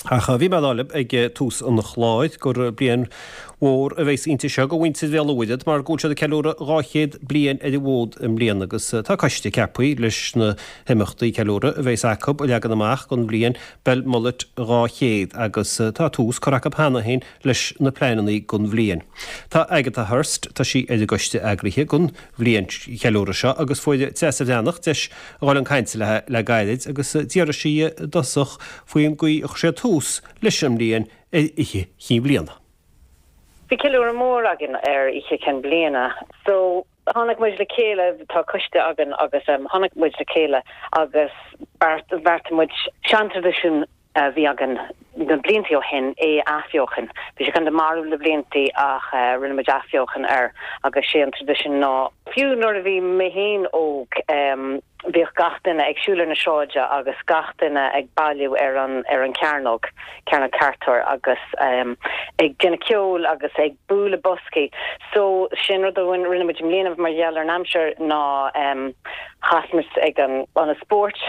Ach bhí mé ag rá libh ag tús an chláir gur bliain mhór a bheas inti seo do mhuintir Bhéal an Mhuirthead mar go bhfuil siad ag ceiliúradh 200 bliain ar an bhfód i mbliana agus tá coiste ceaptha leis na himeachtaí ceiliúrtha a bheas acu a leagan amach don bhliain Belmullet 200 agus tá tús curtha acu cheana féin leis na pleananna don bhliain. Tá Agatha Hurst, tá sí ar an gcoiste eagraithe don bhliain cheiliúrtha seo agus fuair Treasa Bhreathnach deis a dhul chun cainte léi le gairid agus d'fhiafraigh sí i dtosach faoin gcaoi a chuir siad tús leis an mbliain ar Oíche Chinn Bhliana. Bhí ceiliúradh mór againn ar Oíche Chinn Bliana. So, tháinig muid le chéile, tá coiste againn agus tháinig muid le chéile agus bheartaigh muid seantraidisiún a bhí againn na bliantaí ó shin, é a athbheochan. Bhí sé kind of marbh le bliantaí ach rinne muid athbheochan air agus sé an traidisiún ná, fiú nuair a bhí mé féin óg, bhíodh gach duine ag siúl ar na sráide agus gach duine ag bailiú ar an ar an chearnóg, Cearnóg Carter agus ag déanamh ceoil agus ag bualadh boscaí. So sin rud a rinne muid i mbliana mar gheall ar an aimsir ná chas muid ag an ionad spóirt,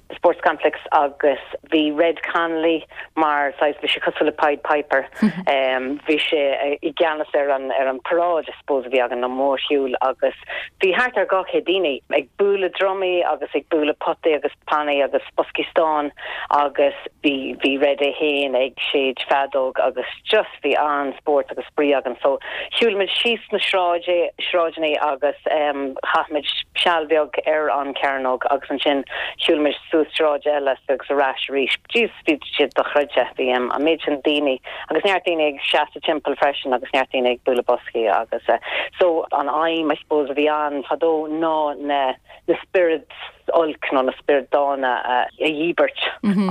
the sports complex agus bhí Red Connolly mar saghas, bhí sé cosúil le Pied Piper, bhí sé i gceannas ar an ar an paráid I suppose a bhí againn, an mórshiúl agus bhí thart ar 200 daoine ag bualadh drumaí agus ag bualadh potaí agus pannaí agus boscaí stáin agus bhí bhí Red é féin ag séid feadóg agus just bhí an-spórt agus spraoi againn so shiúil muid síos na sráide sráideanna agus chaith muid seal beag ar an cearnóg agus ansin shiúil muid suas sráid eile agus ar ais arís. Jeez bhí sé dochreidte bhí an méid sin daoine agus neart daoine ag seasamh timpeall freisin agus neart daoine ag bualadh boscaí agus so an aidhm I suppose a bhí ann fadó ná na na spioraid olc nó na spioraid dána a dhíbirt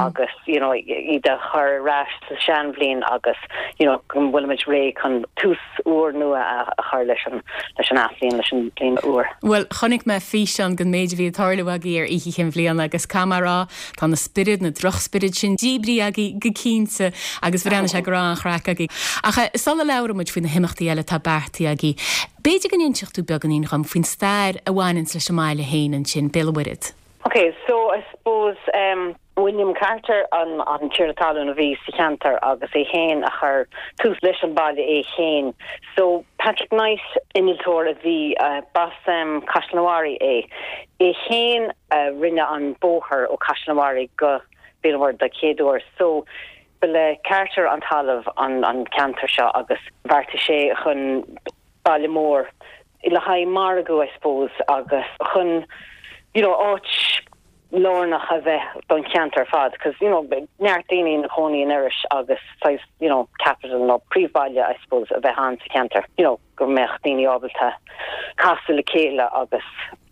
agus you know iad a chur ar ais sa seanbhliain agus you know go bhfuilimid réidh chun tús úr nua a chur leis an leis an athbhliain, leis an bhliain úr. Bhuel, chonaic mé físeán den méid a bhí ag tarlú agaibh ar Oíche Chinn Bhliana agus caithfidh mé a rá, tá na spioraid, na drochspioraid sin díbrithe agaibh go cinnte agus bhreathnaigh sé go raibh an-chraic agaibh. Ach sula labhraíonn muid faoi na himeachtaí eile atá beartaithe agaibh, B'fhéidir go n-inseodh tú beagáinín dhom faoin stair a bhaineanns leis an mbaile féin ansin, Béal an Mhuirthead. Ok, so I suppose em William Carter an an tiarna talún a bhí sa cheantar agus é féin a chuir tús leis an baile é féin. So Patrick Knight, innealtóir a bhí, b'as em Caisleán an Bharraigh é. É féin a rinne an bóthar ó Caisleán an Bharraigh go Béal an Mhuirthead den chéad uair. So Ba le Carter an talamh an ceantar seo agus bheartaigh sé chun baile mór le haghaidh margadh I suppose agus chun you know áit lárnach a bheith don cheantar ar fad cos you know neart daoine ina chónaí in Iorrais agus saghas you know capital nó príomhbhaile I suppose a bheith ann sa cheantar you know go mbeadh daoine ábalta casadh le chéile agus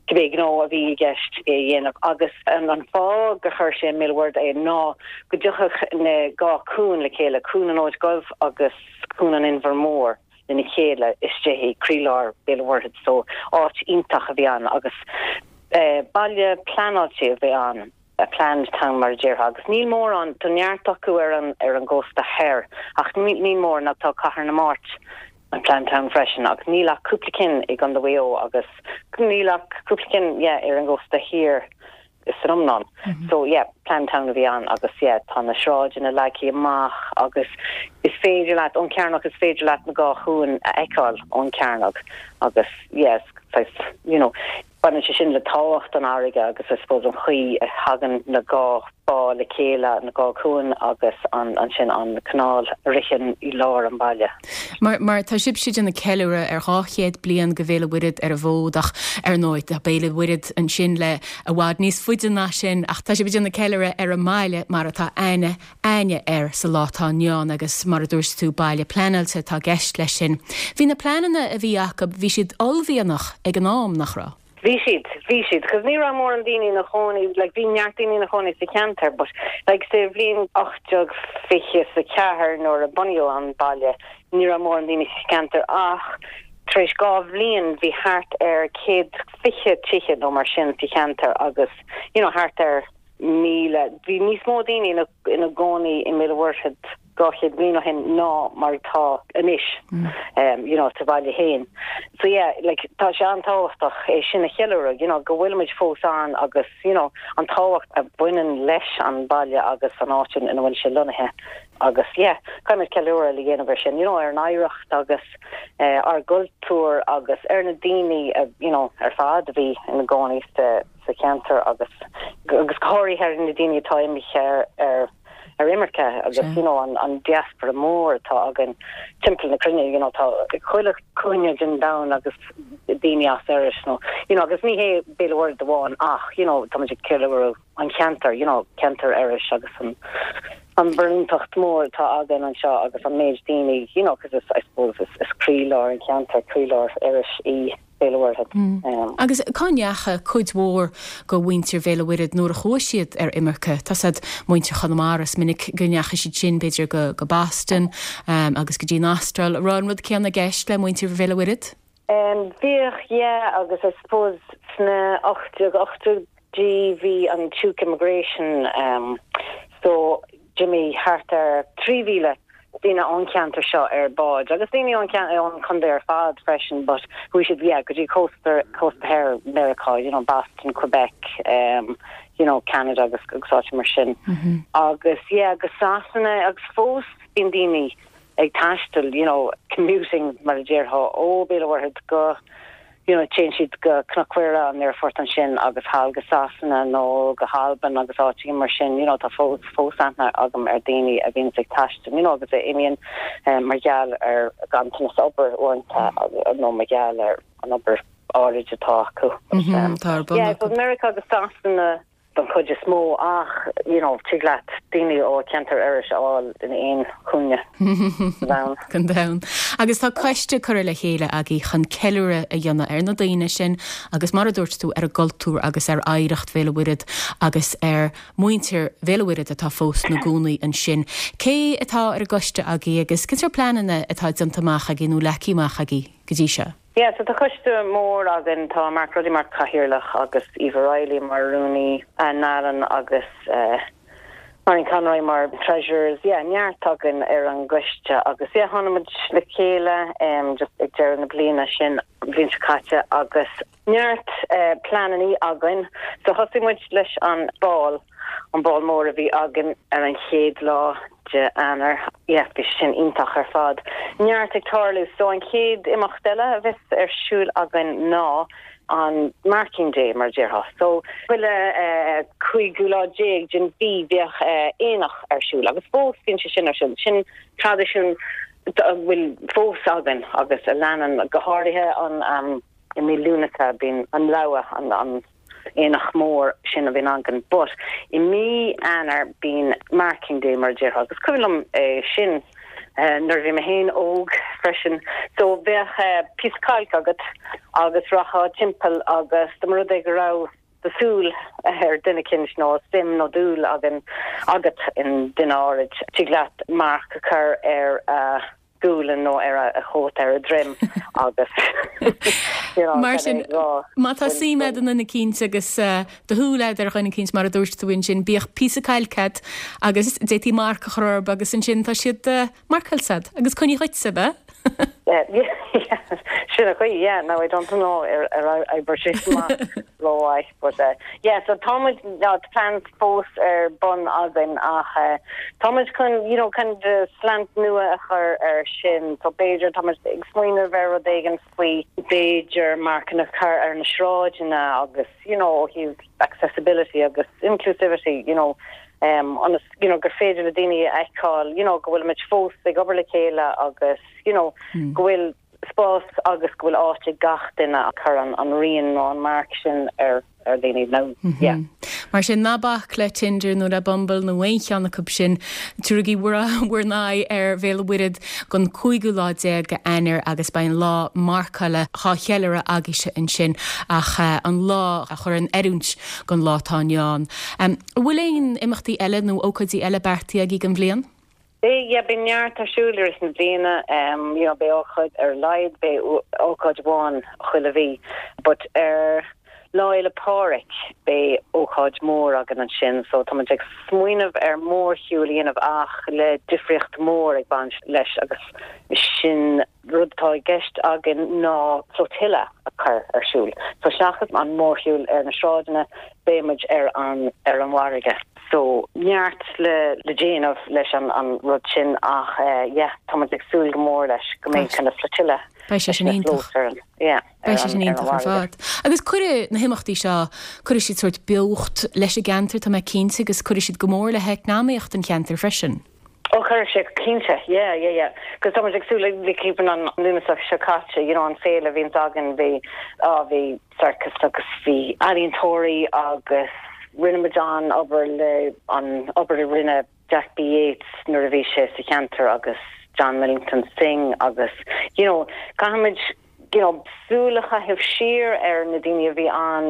cibé gnó a bhí i gceist é a dhéanamh agus an fáth gur chuir sé i mBéal an Mhuirthead é ná go dtiocfadh na dhá cuan le chéile, Cuan an Fhóid Dhuibh agus Cuan an Inbhir Mhóir lena chéile istigh i gcroílár Béal an Mhuirthead so áit iontach a bhí ann agus baile pleanáilte a bhí ann. a planned town mar a déarfá agus níl mórán, tá neart acu ar an ar an gcósta thoir ach níl mórán ach tá Cathair na Mart a planned town freisin agus níl ach cúpla cinn i gContae Mhaigh Eo agus níl ach cúpla cinn yeah ar an gcósta thiar san iomlán. So yeah planned town a bhí ann agus yeah tá na sráideanna leagtha amach agus is féidir leat ón chearnóg is féidir leat na dhá chuan a fheiceáil ón chearnóg agus yeah saghas you know Baineann sé sin le tábhacht an fharraige agus I suppose an chaoi a thagann na dhá bá le chéile, na dhá chuan agus an ansin an canáil a ritheann i lár an bhaile. Mar, mar tá sibhse ag déanamh ceiliúradh ar 200 bliain de Bhéal an Mhuirthead ar an bhfód ach ar ndóigh tá Béal an Mhuirthead ansin le i bhfad níos faide ná sin ach tá sibh ag déanamh ceiliúradh ar an mbaile mar atá aithne againne air sa lá atá inniu ann agus mar a dúirt tú baile pleanáilte atá i gceist leis sin. Bhí na pleananna a bhí acu, bhí siad uaillmhianach ag an am, nach raibh? Bhí siad, bhí siad, cos ní raibh mórán daoine ina chónaí, like bhí neart daoine ina chónaí sa cheantar but like sa bhliain 1824 nuair a bunaíodh an baile ní raibh mórán daoine sa cheantar ach tar éis 2 bhliain bhí thart ar 120 tithe nó mar sin sa cheantar agus you know thart ar 1,000. Bhí níos mó daoine ina gcónaí i mBéal an Mhuirthead. 200 bliain ó shin ná mar atá anois you know sa bhaile féin. So yeah like tá sé an-tábhachtach é sin a cheiliúradh you know go bhfuilimid fós ann agus you know an tábhacht a bhaineann leis an baile agus an áit ina bhfuil sé lonnaithe agus yeah caithfimid ceiliúradh le dhéanamh ar sin you know ar an oidhreacht agus eh, ár gcultúr agus ar na daoine uh, you know ar fad a bhí ina gcónaí sa sa cheantar agus agus go háirithe ar na daoine atá imithe ar ar ar imirce agus you know an an diaspora mór atá againn timpeall na cruinne you know tá chuile chúinne den domhan agus daoine as Iorras nó you know agus ní hé Béal an Mhuirthead amháin ach you know táimid ag ceiliúradh an cheantar you know ceantar Iorrais agus an an barúntacht mór atá againn anseo agus an méid daoine you know cos is I suppose is is croílár an cheantair croílár Iorrais í Béal an Mhuirthead. Agus cá ndeacha cuid mhór go mhuintir Bhéal an Mhuirthead nuair a chuaigh siad ar imirce? Tá 's a'd, muintir Chonamara, is minic go ndeachaigh siad sin, b'fhéidir, go go Boston agus go dtí an Astráil. An raibh an rud céanna i gceist le muintir Bhéal an Mhuirthead? Bhíodh, yeah, agus I suppose sna 1880idí bhí an Tuke Immigration so D'imigh thart ar 3,000 duine ón cheantar seo ar báid, agus daoine ón ón chontae ar fad freisin, but chuaigh siad, yeah, go dtí cósta, cósta thoir Mheiriceá, you know, Boston, Quebec, um, you know, Canada agus agus áiteanna mar sin. Agus, yeah, go Sasana agus fós bíonn daoine ag taisteal, you know, commuting mar a déarfá, ó Béal an Mhuirthead go, you know, téann siad go Cnoc Mhuire, an aerfort ansin agus thall go Sasana nó go hAlbain agus áiteanna mar sin, you know, tá fós, fós aithne agam ar daoine a bhíonns ag taisteal, you know, agus a imíonn mar gheall ar ganntanas obair uaireanta nó mar gheall ar an obair áirid atá acu. Tá ar bun Yeah, acu. Meiriceá agus Sasana don chuid is mó ach, you know, tig leat daoine ó cheantar Iorrais a fháil in aon chúinne den domhan. Den domhan. Agus tá coiste curtha le chéile agaibh chun ceiliúradh a dhéanamh ar na daoine sin agus mar a dúirt tú ar an gcultúr agus ar oidhreacht Bhéal an Mhuirthead agus ar mhuintir Bhéal an Mhuirthead atá fós 'na gcónaí ansin. Cé atá ar an gcoiste agaibh agus cén sórt pleananna atá déanta amach agaibh nó leagtha amach agaibh go dtí seo? Yeah, so tá coiste mór againn, tá Mark Ruddy mar chathaoirleach agus Eva Reilly mar rúnaí, Anne Nallen agus Marion Conroy mar treasurers. Yeah, neart againn ar an gcoiste agus yeah, tháinig muid le chéile just ag deireadh na bliana sin, an bhliain seo caite agus neart pleanannaí againn. So thosaigh muid leis an ball, an ball mór a bhí againn ar an chéad lá de Eanáir. Yeah, bhí sé sin iontach ar fad. Neart ag tarlú. So an chéad imeacht eile a bheas ar siúl againn ná an Marking Day, mar a déarfá. So chuile cúigiú lá déag den mhí bheadh aonach ar siúl agus fós bíonn sé sin ar siúl. Sin traidisiún a bhfuil fós againn agus a leanann go háirithe an i mí Lúnasa bíonn an rogha, an aonach mór sin a bhíonn againn but i mí Eanáir bíonn Marking Day mar a déarfá agus cuimhin liom é sin nuair a bhí mé féin óg freisin so bheadh píosa cailc agat agus rachfá timpeall agus dá mba rud é go raibh do shúil ar duine eicínt nó suim nó dúil againn agat i nduine áirid tig leat marc a chur ar a gualainn nó ar a chóta ar a droim agus you know Mar sin, má tá suim a'd i nduine eicínt agus do shúil a'd ar dhuine eicínt mar a dúirt tú ansin, bíodh píosa cailc a'd agus d'fhéadfaí marc a chur orthu agus ansin tá siad marcáilte a'd agus coinnithe dhuitse, ab ea? Sin an chaoi, yeah, now I don't know ar ar oibrigh sé amach rómhaith but yeah so tá muid tá plans fós ar bun againn ach tá muid chun you know kind of slant nua a chur ar sin so b'fhéidir tá muid ag smaoineamh ar rud éigin faoi b'fhéidir marcanna a chur ar na sráideanna agus you know ó thaobh accessibility agus inclusivity you know um ionas you know gur féidir le daoine a fheiceáil you know go bhfuil muid fós ag obair le chéile agus you know go bhfuil spás agus go bhfuil áit ag gach duine a chur an rian nó an marc sin ar ar dhaoine nó yeah. Mar sin, ná bac le Tinder nó le Bumble nó aon cheann acu sin. Tabharaigí bhur bhur n-aghaidh ar Bhéal an Mhuirthead don cúigiú lá déag de Eanáir agus beidh an lá marcála á cheiliúradh agaibhse ansin ach an lá a chur in oiriúint don lá atá inniu ann. An bhfuil aon imeachtaí eile nó ócáidí eile beartaithe agaibh don bhliain? Beidh, yeah, beidh neart ar siúl i rith na bliana, you know, beidh ócáid ar a laghad, beidh ócáid amháin chuile mhí, but ar. Lá Fhéile Pádraig beidh ócáid mór againn ansin so tá muid ag smaoineamh ar mórshiúl a dhéanamh ach le difríocht mór ag baint leis agus sin rud atá i gceist againn ná flotilla a chur ar siúl. So seachas an mórshiúl ar na sráideanna beidh muid ar an ar an bhfarraige. So neart le le déanamh leis an an rud sin ach yeah tá muid ag súil go mór leis go mbeidh kind of flotilla Beidh sé sin iontach. Yeah. Beidh sé sin iontach ar fad. Agus cuirfidh na himeachtaí seo, cuirfidh siad sórt beocht leis an gceantar, tá mé cinnte, agus cuirfidh siad go mór le heacnamaíocht an cheantair freisin. Ó cuirfidh sé, cinnte, yeah, yeah, yeah. Cos tá muid ag súil le ceapaim an Lúnasa seo caite, you know, an féile a bhíonns againn, bhí, á, bhí circus agus bhí ealaíontóirí agus rinne muid an-obair le, an obair a rinne Jack B Yeats nuair a bhí sé sa cheantar agus John Millington Synge agus you know caithfimid you know súil a chaitheamh siar ar na daoine a bhí ann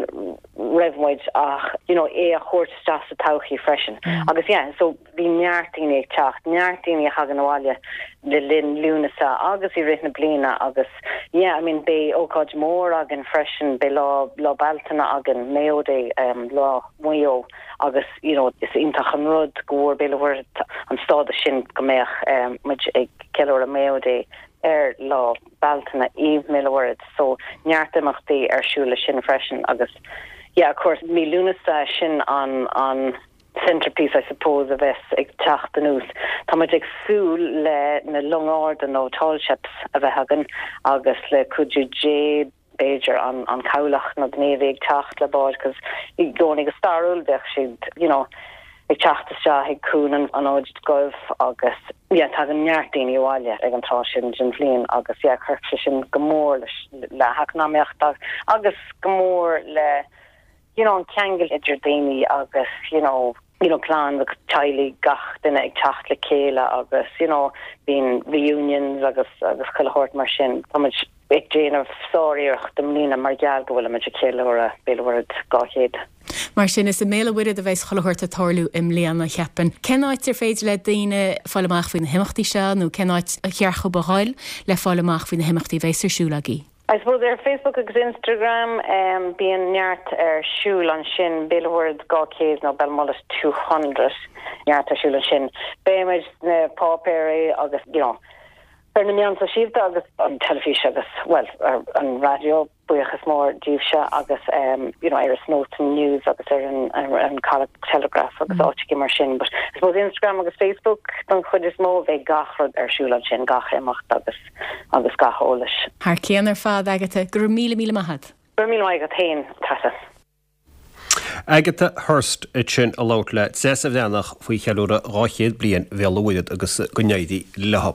roimh muid ach you know é a thabhairt isteach sa todhchaí freisin. Agus yeah so bhí neart daoine ag teacht, neart daoine a thagann abhaile le linn Lúnasa agus i rith na bliana agus yeah I mean beidh ócáid mhór againn freisin, beidh lá lá Bealtaine againn, Mayo Day, um, lá Mhaigh Eo. agus you know is iontach an rud go bhfuair Béal an Mhuirthead an stádas sin go mbeadh muid ag ceiliúradh Mayo Day ar lá Bealtaine i mBéal an Mhuirthead so neart imeachtaí ar siúl leis sin freisin agus yeah of course mí Lúnasa sin an an centerpiece I suppose a bheas ag teacht anuas. Tá muid ag súil le na longa arda nó tall ships a bheith againn agus le cuidiú Dé b'fhéidir, an cabhlach nó the Navy ag teacht le báid cos i gcónaí go stairiúil bheadh siad you know ag teacht isteach ag Cuan an Fhóid Dhuibh agus yeah tagann neart daoine abhaile ag an tráth sin den bhliain agus yeah chuirfeadh sé sin go mór leis le heacnamaíocht agus go mór le you know an ceangal idir daoine agus you know you know clann agus teaghlaigh gach duine ag teacht le chéile agus you know bíonn reunions agus agus chuile shórt mar sin. Tá muid ag déanamh sár-iarracht i mbliana mar gheall go bhfuilimid ag ceiliúradh Béal an Mhuirthead 200. Mar sin, is i mBéal an Mhuirthead a bheas chuile shórt ag tarlú i mbliana, cheapfainn. Cén áit ar féidir le daoine fáil amach faoi na himeachtaí seo nó cén áit ar cheart dhóibh a dhul le fáil amach faoi na himeachtaí a bheas ar siúl agaibh? I suppose ar Facebook agus Instagram bíonn neart ar siúl ansin, Béal an Mhuirthead 200 nó Belmullet 200, neart ar siúl ansin. Beidh muid sna páipéirí agus you know ar na meáin sóisialta agus an teilifís agus bhuel ar an raidió, buíochas mór díbhse agus you know ar an Snowtown News agus ar an an Caladh Telegraph agus áiteacha mar sin. But I suppose Instagram agus Facebook don chuid is mó, beidh gach rud ar siúl ansin, gach imeacht agus. agus gach eolais. Thar cionn ar fad, Agatha. Go raibh míle míle maith agat. Go raibh míle maith agat féin, Treasa. Agatha Hurst ansin ag labhairt le Treasa Bhreathnach faoi cheiliúradh 200 bliain Bhéal an Mhuirthead agus go n-éirí leo.